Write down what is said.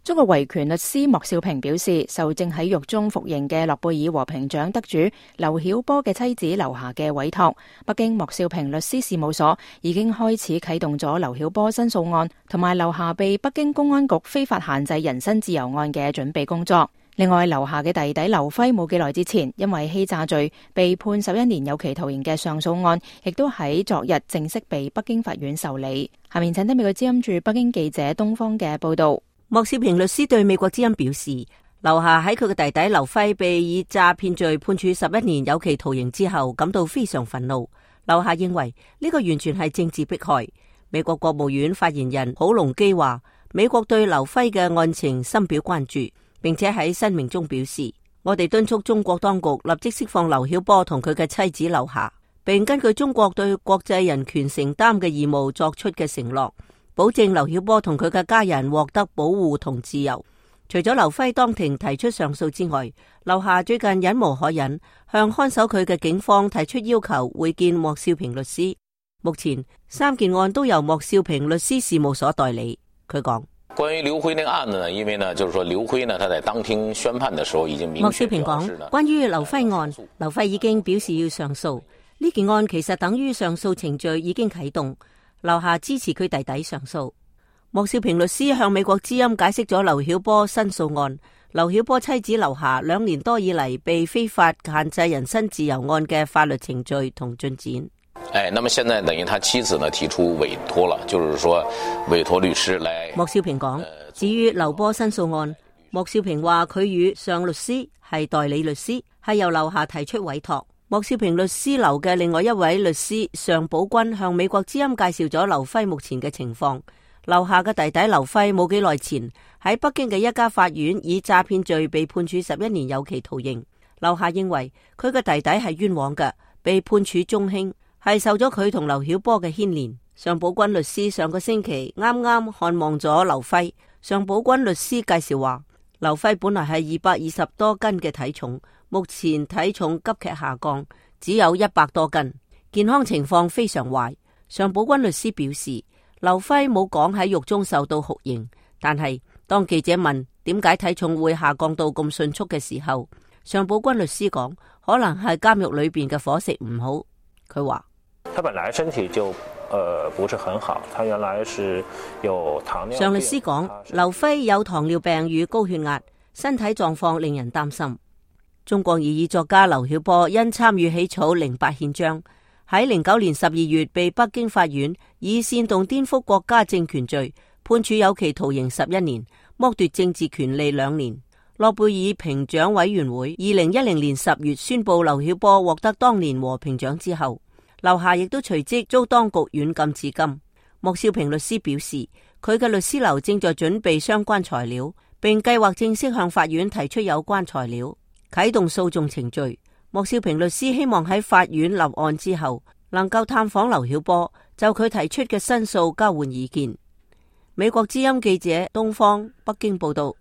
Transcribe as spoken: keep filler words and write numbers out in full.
中國維權律師莫少平表示，受正喺獄中服刑嘅諾貝爾和平獎得主劉曉波嘅妻子劉霞嘅委託，北京莫少平律師事務所已經開始啟動咗劉曉波申訴案同埋劉霞被北京公安局非法限制人身自由案嘅準備工作。另外，劉霞嘅弟弟劉輝冇幾耐之前因為欺詐罪被判十一年有期徒刑嘅上訴案，亦都喺昨日正式被北京法院受理。下面請聽美國之音駐北京記者東方嘅報道。莫少平律師對美國之音表示，劉霞喺佢嘅弟弟劉輝被以詐騙罪判處十一年有期徒刑之後，感到非常憤怒。劉霞認為呢個完全係政治迫害。美國國務院發言人普隆基話，美國對劉輝嘅案情深表關注，並且喺聲明中表示，我哋敦促中國當局立即釋放劉曉波同佢嘅妻子劉霞，並根據中國對國際人權承擔嘅義務作出嘅承諾，保證劉曉波同佢嘅家人獲得保護同自由。除咗劉輝當庭提出上訴之外，劉霞最近忍無可忍，向看守佢嘅警方提出要求會見莫少平律師。目前三件案都由莫少平律師事務所代理。佢講，關於劉輝那個案子呢，因為呢，就是說劉輝呢，他在當庭宣判的時候已經明確。莫少平講，關於劉輝案，劉輝已經表示要上訴。呢件案其實等於上訴程序已經啟動。劉霞支持佢弟弟上訴。莫少平律師向美國之音解釋咗劉曉波申訴案、劉曉波妻子劉霞兩年多以嚟被非法限制人身自由案嘅法律程序同進展。哎，那麼現在等於他妻子呢提出委託了，就是說委託律師來。莫少平講，至於劉波申訴案，莫少平話佢與上律師係代理律師，係由劉霞提出委託。莫少平律師樓嘅另外一位律師尚寶君向美國之音介紹咗劉輝目前嘅情況。劉霞嘅弟弟劉輝冇幾耐前喺北京嘅一家法院以詐騙罪被判處十一年有期徒刑。劉霞認為佢嘅弟弟係冤枉嘅，被判處中輕，係受咗佢同劉曉波嘅牽連。尚寶君律師上個星期啱啱看望咗劉輝。尚寶君律師介紹話，劉輝本來係二百二十多斤嘅體重，目前體重急劇下降，只有一百多斤，健康情況非常壞。尚寶君律師表示，劉輝冇講喺獄中受到酷刑，但係當記者問點解體重會下降到咁迅速嘅時候，尚寶君律師講，可能係監獄裏邊嘅伙食唔好。佢話，他本來身體就呃不是很好，他原來是有糖尿病。尚律師講，劉輝有糖尿病與高血壓，身體狀況令人擔心。中國異議作家劉曉波因參與起草零八憲章，喺零九年十二月被北京法院以煽動顛覆國家政權罪判處有期徒刑十一年，剝奪政治權利兩年。諾貝爾評獎委員會二零一零年十月宣布劉曉波獲得當年和平獎之後，劉霞亦都隨即遭當局軟禁至今。莫少平律師表示，佢嘅律師樓正在準備相關材料，並計劃正式向法院提出有關材料，啟動訴訟程序。莫少平律師希望喺法院立案之後，能夠探訪劉曉波，就佢提出嘅申訴交換意見。美國之音記者東方北京報道。